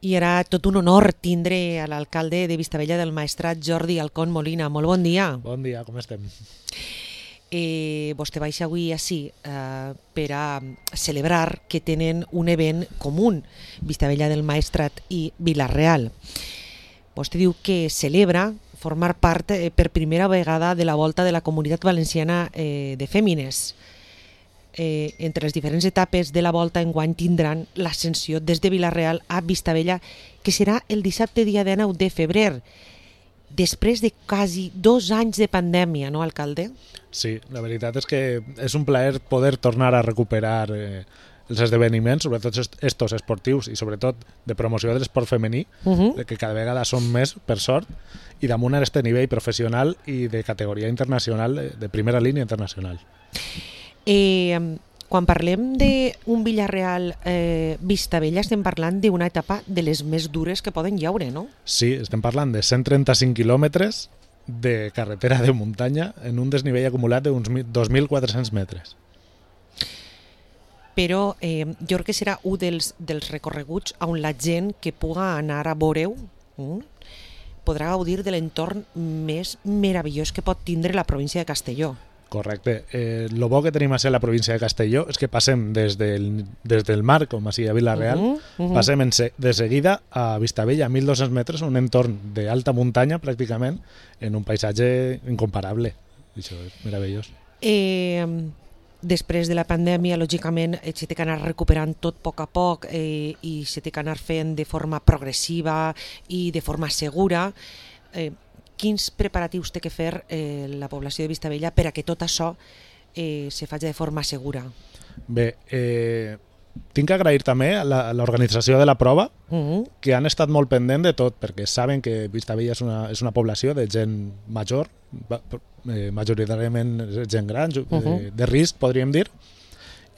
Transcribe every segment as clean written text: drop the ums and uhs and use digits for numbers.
I era tot un honor tindre a l'alcalde de Vistabella del Maestrat, Jordi Alcón Molina. Molt bon dia. Bon dia, com estem? Vostè baixa avui així per a celebrar que tenen un event comú, Vistabella del Maestrat i Vila-real. Vostè diu que celebra formar part per primera vegada de la volta de la Comunitat Valenciana de Fèmines. Entre les diferents etapes de la volta enguany tindran l'ascensió des de Vila-real a Vistabella, que serà el dissabte dia 19 de febrer, després de quasi 2 anys de pandèmia, no, alcalde? Sí, la veritat és que és un plaer poder tornar a recuperar els esdeveniments, sobretot estos esportius i sobretot de promoció de l'esport femení, que cada vegada són més, per sort, i damunt a este nivell professional i de categoria internacional, de primera línia internacional. Quan parlem d'un Vila-real Vistabella estem parlant d'una etapa de les més dures que poden hi haure, no? Sí, estem parlant de 135 quilòmetres de carretera de muntanya en un desnivell acumulat d'uns 2.400 metres. Però jo crec que serà un dels recorreguts on la gent que puga anar a veure-ho podrà gaudir de l'entorn més meravellós que pot tindre la província de Castelló. Correcte. El bo que tenim a ser la província de Castelló és que passem des del mar, com així a Vila-real, passem de seguida a Vistabella, a 1.200 metres, un entorn d'alta muntanya pràcticament, en un paisatge incomparable. Això és meravellós. Després de la pandèmia, lògicament, s'ha d'anar recuperant tot a poc i s'ha d'anar fent de forma progressiva i de forma segura. Quins preparatius té que fer la població de Vistabella per a que tot això se faci de forma segura? Bé, tinc que agrair també a l'organització de la prova, que han estat molt pendent de tot, perquè saben que Vistabella és una població de gent major, majoritàriament gent gran, de risc, podríem dir,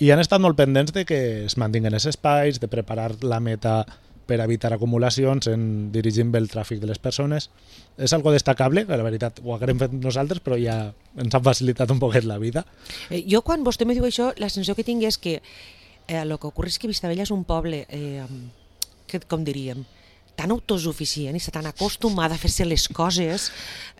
i han estat molt pendents de que es mantinguen els espais, de preparar la meta per evitar acumulacions, dirigint bé el tràfic de les persones. És algo destacable, que la veritat ho haguem fet nosaltres, però ja ens han facilitat un poquet la vida. Jo, quan vostè me diu això, la sensació que tinc és que el que ocorre és que Vistabella és un poble, com diríem, tan autosuficient i tan acostumada a fer-se les coses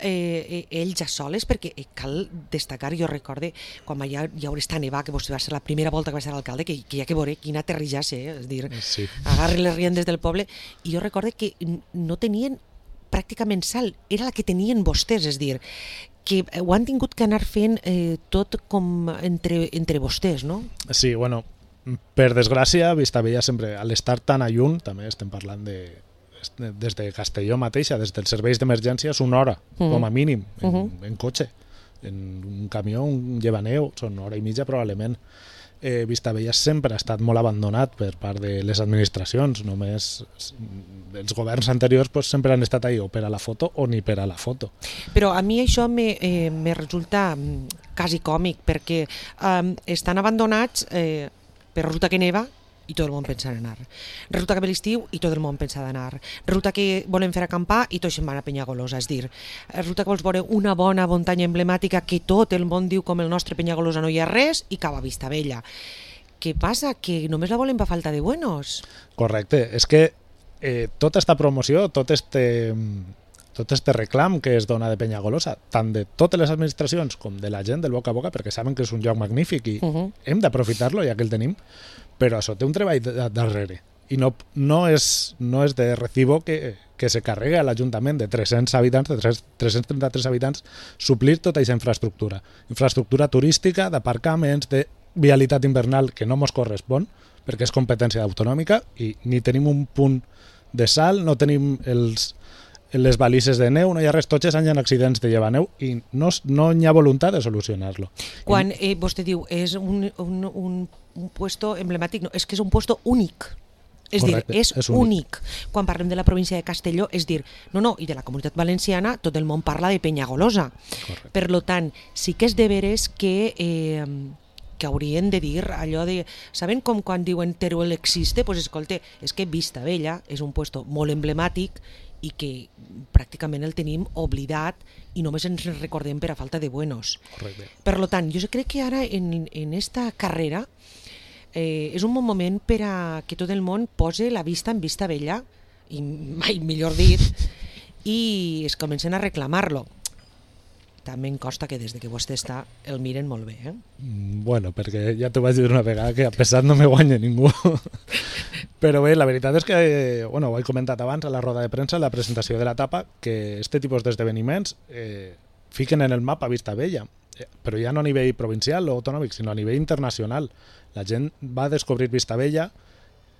ells ja soles, perquè cal destacar, jo recorde, quan ja haurà estat nevar, que vostè va ser la primera volta que va ser l'alcalde, que hi ha que veure quin aterritge, és dir, sí. Agarren les riendes del poble, i jo recorde que no tenien pràcticament sal, era la que tenien vostès, és dir, que ho han tingut que anar fent tot com entre vostès, no? Sí, bueno, per desgràcia, Vistabella sempre, a l'estar tan a lluny, també estem parlant des de Castelló mateixa, des dels serveis d'emergència, és una hora, com a mínim, en cotxe. En un camió, un llevaneu, són una hora i mitja probablement. Vistabella sempre ha estat molt abandonat per part de les administracions, només els governs anteriors sempre han estat ahí o per a la foto o ni per a la foto. Però a mi això me resulta quasi còmic, perquè estan abandonats, però resulta que neva i tot el món pensa en anar. Resulta que ve l'estiu i tot el món pensa d'anar. Resulta que volen fer acampar i tots se'n van a Penyagolosa. És dir, resulta que vols veure una bona muntanya emblemàtica que tot el món diu com el nostre Penyagolosa no hi ha res i cau a Vistabella. Què passa? Que només la volen per falta de buenos. Correcte. És que tota esta promoció, tot este reclam que es dona de Penyagolosa, tant de totes les administracions com de la gent del boca a boca, perquè saben que és un lloc magnífic i hem d'aprofitar-lo ja que el tenim, però això té un treball darrere i no és de recibo que se carregue a l'Ajuntament de 300 habitants, de 333 habitants, suplir tota aquesta infraestructura turística, d'aparcaments, de vialitat invernal que no mos correspon perquè és competència autonòmica i ni tenim un punt de sal, no tenim les balises de neu, no hi ha res, tots els anys hi ha accidents de llevaneu i no hi ha voluntat de solucionar-lo. Quan vostè diu és un puesto emblemàtic, no, és que és un puesto únic. És Correcte, dir, és únic. Quan parlem de la província de Castelló, és dir, no, i de la Comunitat Valenciana, tot el món parla de Penyagolosa. Correcte. Per tant, sí que és de veres que haurien de dir allò de... Saben com quan diuen Teruel existe? Pues escolta, és que Vistabella és un puesto molt emblemàtic i que pràcticament el tenim oblidat i només ens recordem per a falta de buenos. Correcte. Per tant, jo crec que ara en esta carrera és un bon moment per a que tot el món posi la vista en Vistabella i mai millor dit, i es comencen a reclamar-lo. També em costa que des de que vostè està el miren molt bé. Bueno, perquè ja t'ho vaig dir una vegada que a pesar no me guanya ningú. Però bé, la veritat és que, bueno, ho he comentat abans a la roda de premsa, a la presentació de l'etapa, que este tipus d'esdeveniments fiquen en el mapa Vistabella, però ja no a nivell provincial o autonòmic, sinó a nivell internacional. La gent va descobrir Vistabella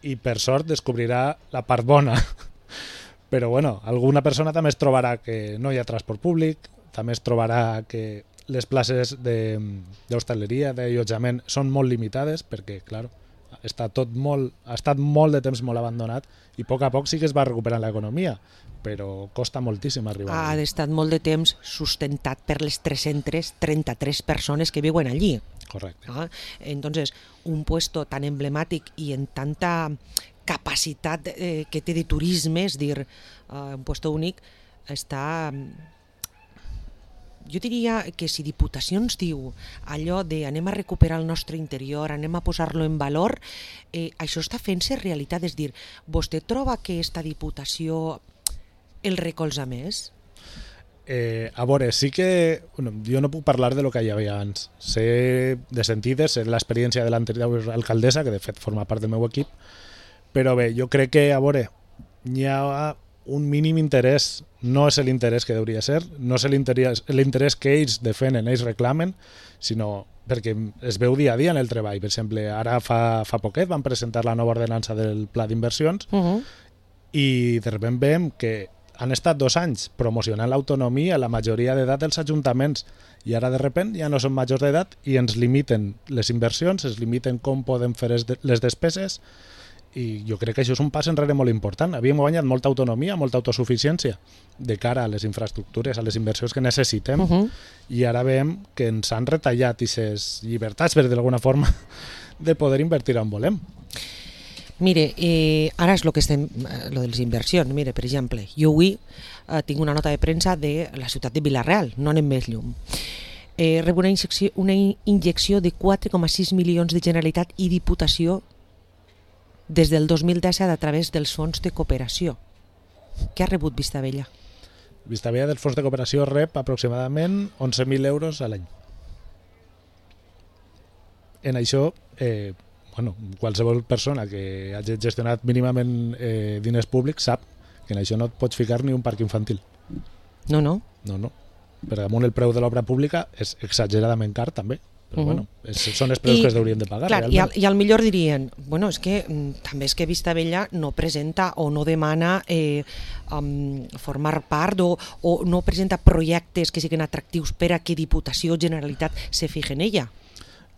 i per sort descobrirà la part bona. Però bueno, alguna persona també es trobarà que no hi ha transport públic, també es trobarà que les places d'hostaleria, d'allotjament, són molt limitades perquè, clar, ha estat molt de temps molt abandonat i a poc sí que es va recuperant l'economia, però costa moltíssim arribar. Ha estat molt de temps sustentat per les 333 persones que viuen allí. Correcte. Entonces, un puesto tan emblemàtic i en tanta capacitat que té de turisme, és dir, un puesto únic, està... Jo diria que si Diputacions diu allò de anem a recuperar el nostre interior, anem a posar-lo en valor, això està fent-se realitat. És dir, vostè troba que esta Diputació el recolza més? A veure, sí que... Bueno, jo no puc parlar de lo que hi havia abans. Sé de sentides, sé l'experiència de l'anterior alcaldessa, que de fet forma part del meu equip, però bé, jo crec que, a veure, hi ha un mínim interès, no és l'interès que hauria de ser, no és l'interès que ells defenen, ells reclamen, sinó perquè es veu dia a dia en el treball. Per exemple, ara fa poquet van presentar la nova ordenança del pla d'inversions i de sobte veiem que han estat 2 anys promocionant l'autonomia, la majoria d'edat dels ajuntaments, i ara de sobte ja no són majors d'edat i ens limiten les inversions, ens limiten com podem fer les despeses, i jo crec que això és un pas enrere molt important. Havíem guanyat molta autonomia, molta autosuficiència de cara a les infraestructures, a les inversions que necessitem, i ara veiem que ens han retallat aquestes llibertats, per d'alguna forma, de poder invertir on volem. Mire, ara és el que estem, lo de les inversions. Mire, per exemple, jo avui tinc una nota de premsa de la ciutat de Vila-real, no anem més llum. Rep una injecció de 4,6 milions de Generalitat i Diputació des del 2017 a través dels fons de cooperació. Què ha rebut Vistabella? Vistabella dels fons de cooperació rep aproximadament 11.000 euros a l'any. En això, bueno, qualsevol persona que hagi gestionat mínimament diners públics sap que en això no et pots ficar ni un parc infantil. No, no. No. Per damunt el preu de l'obra pública és exageradament car també. Però bueno, són els preus que es haurien de pagar. Clar, i al millor dirien, bueno, és que també és que Vistabella no presenta o no demana formar part o no presenta projectes que siguin atractius per a que Diputació o Generalitat se fije en ella.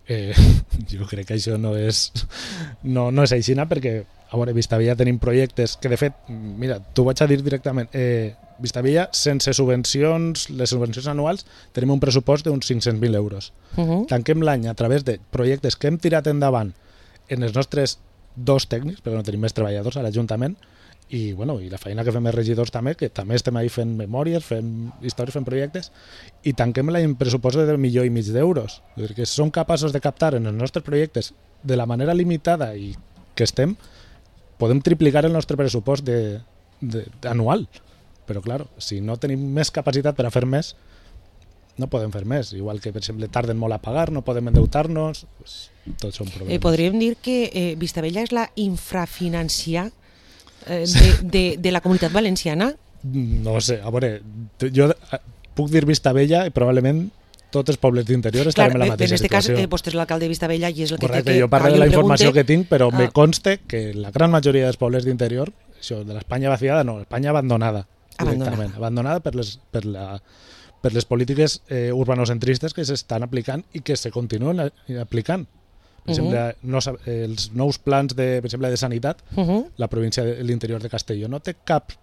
Jo crec que això no és així, perquè a veure, Vistabella tenim projectes que de fet, mira, t'ho vaig a dir directament, Vistabella, sense subvencions, les subvencions anuals, tenim un pressupost d'uns 500.000 euros. Tanquem l'any a través de projectes que hem tirat endavant en els nostres 2 tècnics, perquè no tenim més treballadors a l'Ajuntament, i la feina que fem els regidors també, que també estem ahí fent memòries, fent històries, fent projectes, i tanquem l'any pressupost de 1,5 milions d'euros. És dir, que som capaços de captar en els nostres projectes de la manera limitada i que estem, podem triplicar el nostre pressupost anual. Però, clar, si no tenim més capacitat per a fer més, no podem fer més. Igual que, per exemple, tarden molt a pagar, no podem endeutar-nos, tots són problemes. Podríem dir que Vistabella és la infrafinanciar de la comunitat valenciana? No sé, a veure, jo puc dir Vistabella i probablement tots els pobles d'interior estarem en la mateixa situació. En aquest cas, vostè és l'alcalde de Vistabella i és el que correcte, té que... Jo parlo de la informació que tinc, però me conste que la gran majoria dels pobles d'interior, això de l'Espanya vaciada, no, l'Espanya abandonada. Abandonada per les polítiques urbanocentristes que s'estan aplicant i que se continuen aplicant. Per exemple, els nous plans per exemple, de sanitat, la província de l'interior de Castelló no té cap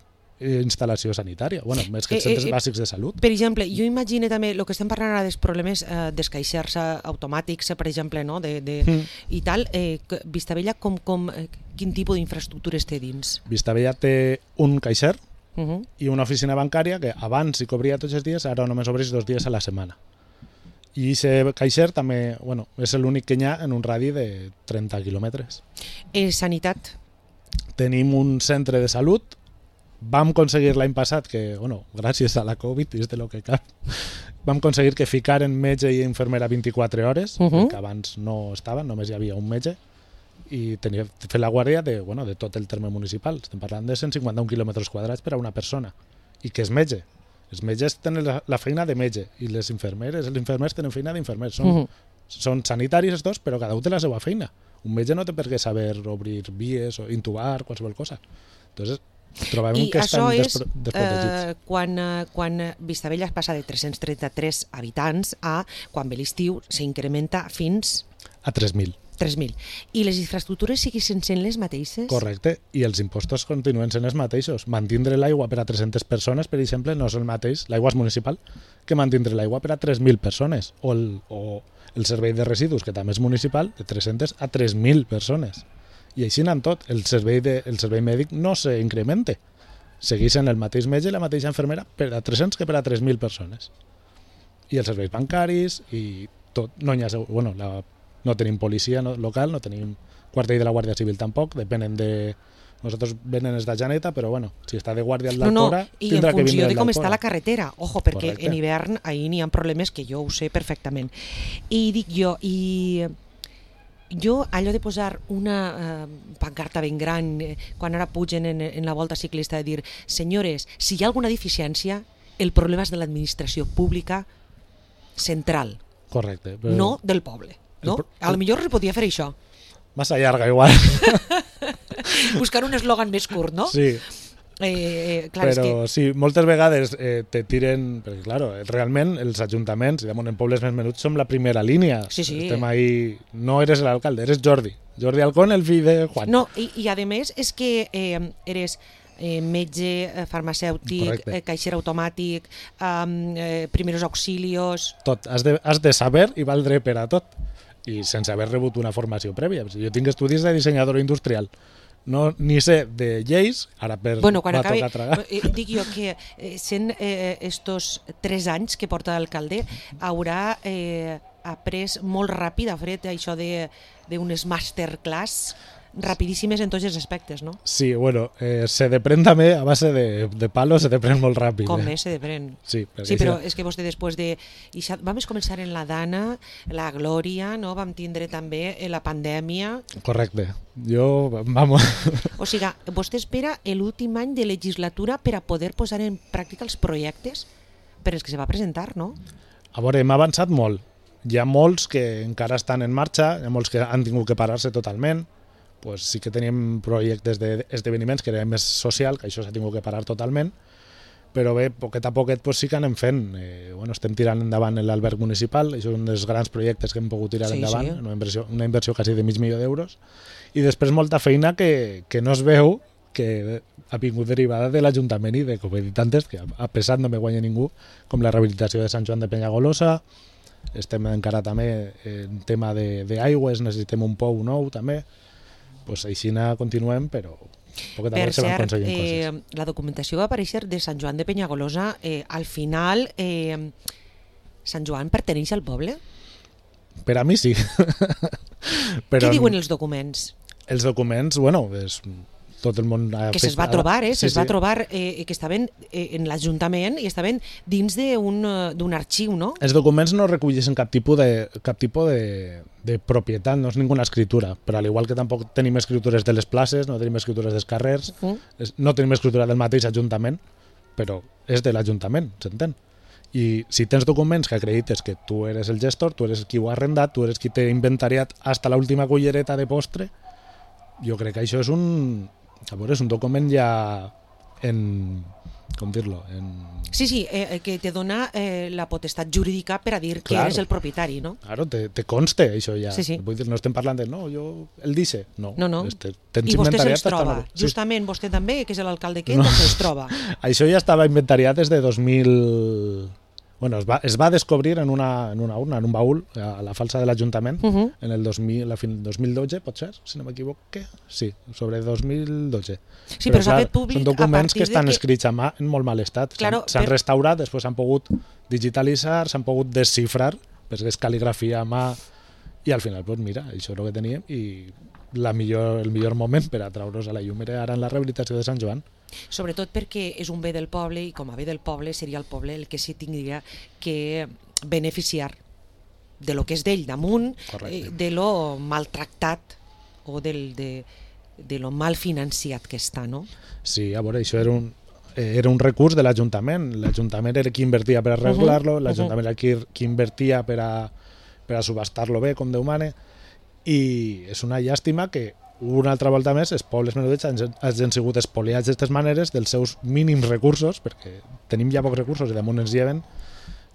instal·lació sanitària, més que els centres bàsics de salut. Per exemple, jo imagino també el que estem parlant ara dels problemes dels caixers automàtics, per exemple, no? I tal, Vistabella, quin tipus d'infraestructures té dins? Vistabella té un caixer i una oficina bancària que abans s'hi cobria tots els dies, ara només obreix 2 dies a la setmana. I aquest caixer també és l'únic que hi ha en un radi de 30 quilòmetres. Sanitat? Tenim un centre de salut vam aconseguir l'any passat que, bueno, gràcies a la Covid, és de lo que cap, vam aconseguir que ficaren metge i infermera 24 hores, que abans no estaven, només hi havia un metge, i tenia fer la guàrdia de, bueno, de tot el terme municipal. Estem parlant de 151 quilòmetres quadrats per a una persona, i que és metge. Els metges tenen la feina de metge, i les infermeres, els infermers tenen feina d'infermers. Són sanitaris els dos, però cada un té la seva feina. Un metge no té per què saber obrir vies o intubar, qualsevol cosa. Entonces, trobem que estan desprotegits. Quan Vistabella es passa de 333 habitants a, quan ve l'estiu, s'incrementa fins a 3.000. 3.000. I les infraestructures segueixen sent les mateixes? Correcte, i els impostos continuen sent els mateixos. Mantindre l'aigua per a 300 persones, per exemple, no és el mateix, l'aigua és municipal, que mantindre l'aigua per a 3.000 persones. O el servei de residus, que també és municipal, de 300 a 3.000 persones. I així anant tot, el servei mèdic no s'incrementa. Segueixen el mateix metge i la mateixa infermera per a 300 que per a 3.000 persones. I els serveis bancaris i tot. No tenim policia local, no tenim quartell de la Guàrdia Civil tampoc, depenen de... Nosaltres venen els de Janeta, però bueno, si està de guàrdia el d'Alcora, tindrà que vindre el d'Alcora. I en funció de com està la carretera, ojo, perquè Correcte. En hivern ahir n'hi ha problemes que jo ho sé perfectament. I dic jo, allò de posar una pancarta ben gran quan ara pugen en la volta ciclista de dir, senyores, si hi ha alguna deficiència, el problema és de l'administració pública central, Correcte. però no del poble. No? A lo millor es podia fer això. Massa llarga, igual. Buscar un eslògan més curt, no? Sí. Clar, però sí, moltes vegades te tiren... Perquè, claro, realment els ajuntaments, en pobles més menuts, som la primera línia. Sí. Estem ahí... No eres l'alcalde, eres Jordi. Jordi Alcón, el fill de Juan. No, i a més és que eres metge, farmacèutic, caixer automàtic, primeros auxilios... Tot. Has de saber i valdre per a tot. I sense haver rebut una formació prèvia. Jo tinc estudis de dissenyador industrial. No, ni sé de lleis, ara quan va acabi, tocar tragar. dic jo que sent estos 3 anys que porta l'alcalde haurà après molt ràpid, ha fet això d'unes masterclass rapidíssimes en tots els aspectes, no? Sí, bueno, se depren també a base de palos, se depren molt ràpid. Com més se depren. Sí, però és que vostè després de... Vam començar en la Dana, la Glòria, no? Vam tindre també la pandèmia. Correcte. Vamos... O sigui, vostè espera l'últim any de legislatura per a poder posar en pràctica els projectes per als que se va presentar, no? A veure, hem avançat molt. Hi ha molts que encara estan en marxa, hi ha molts que han tingut que parar-se totalment. Pues sí que teníem projectes d'esdeveniments que era més social, que això s'ha tingut que parar totalment, però bé, poquet a poquet pues sí que anem fent. Estem tirant endavant l'alberg municipal, això és un dels grans projectes que hem pogut tirar endavant, sí. Una inversió quasi de $500,000 d'euros, i després molta feina que no es veu, que ha vingut derivada de l'Ajuntament i de comeditantes, que a pesar no me guanya ningú, com la rehabilitació de Sant Joan de Penyagolosa. Estem encara també en tema d'aigües, necessitem un pou nou també. Pues així continuem, però poquet a poc se van aconseguint coses. La documentació va aparèixer de Sant Joan de Penyagolosa. Al final, Sant Joan perteneix al poble? Per a mi sí. Què diuen els documents? Els documents, bueno, tot el món... Que se'ls va trobar, se'ls va trobar que estaven en l'Ajuntament i estaven dins d'un arxiu, no? Els documents no recolleixen cap tipus de propietat, no és ninguna escritura, però al igual que tampoc tenim escritures de les places, no tenim escritures dels carrers, no tenim escritura del mateix Ajuntament, però és de l'Ajuntament, s'entén? I si tens documents que acredites que tu eres el gestor, tu eres qui ho ha arrendat, tu eres qui t'ha inventariat hasta l'última cullereta de postre, jo crec que això és un document ja com dir-lo? Sí, que te dona la potestat jurídica per a dir que eres el propietari, no? Claro, te conste això ja. Sí. Vull dir, no estem parlant de, el dice. No. I vostè se'ls troba. Justament vostè també, que és l'alcalde que se'ls troba. Això ja estava inventariat des de 2000... Bueno, es va descobrir en una urna, en un baúl, a la falsa de l'Ajuntament, en el 2012, pot ser, si no m'equivoque? Sí, sobre 2012. Sí, però s'ha fet públic són documents que estan escrits a mà en molt mal estat. S'han restaurat, després s'han pogut digitalitzar, s'han pogut desxifrar, perquè és cal·ligrafia a mà, i al final, doncs mira, això és el que teníem, i el millor moment per a treure's a la llum era ara en la rehabilitació de Sant Joan. Sobretot perquè és un bé del poble i com a bé del poble seria el poble el que s'hi tindria que beneficiar de lo que és d'ell damunt, de lo maltractat o de lo mal financiat que està, no? Sí, a veure, això era un recurs de l'Ajuntament. L'Ajuntament era qui invertia per arreglar-lo, l'Ajuntament era qui invertia per a subhastar-lo bé, com Déu mane, i és una llàstima que una altra volta més els pobles menudets hagin sigut espoliats d'aquestes maneres dels seus mínims recursos, perquè tenim ja pocs recursos i damunt ens lleven.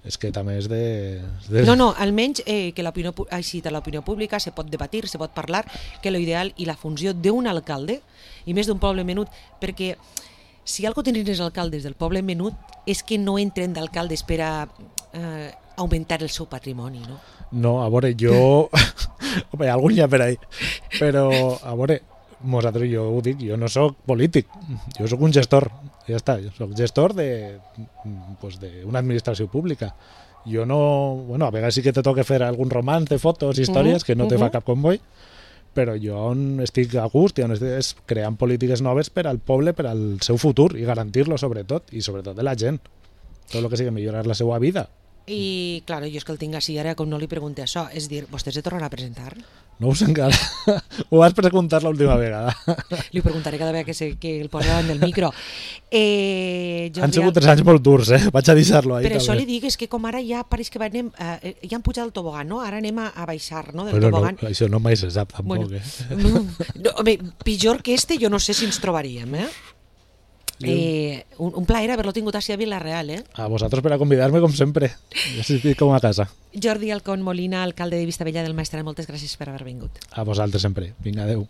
És que també és de... No, almenys que així de l'opinió pública se pot debatir, se pot parlar, que l'ideal i la funció d'un alcalde, i més d'un poble menut, perquè si algo tenen els alcaldes del poble menut és que no entren d'alcaldes per a augmentar el seu patrimoni, no? No, a veure, jo... Home, algun ja per ahí. Però, a veure, nosaltres, jo ho dic, jo no sóc polític, jo sóc un gestor, ja està, jo sóc gestor d'una administració pública. Jo no... Bueno, a vegades sí que te toca fer algun romanç de fotos, històries, que no te fa cap comboi, però jo estic a gust i on estic creant polítiques noves per al poble, per al seu futur i garantir-lo sobretot, i sobretot de la gent. Tot el que sigui millorar la seva vida. I, clar, jo és que el tinc així ara, com no li pregunté això, és dir, vostè se tornarà a presentar? No ho sé encara. Ho vas preguntar l'última vegada. Li preguntaré cada vegada que el posa davant del micro. Han sigut 3 anys molt durs, vaig a deixar-lo ahí. Per això li dic, és que com ara ja pareix que ja han pujat el tobogan, no? Ara anem a baixar, no? Del tobogan. No, això no mai se sap, tampoc. No, home, pitjor que jo no sé si ens trobaríem, un plaer haver-lo tingut així a Vila-real, A vosaltres per a convidar-me, com sempre. Ja estic com a casa. Jordi Alcón Molina, alcalde de Vistabella del Maestrat, moltes gràcies per haver vingut. A vosaltres sempre. Vinga, adeu.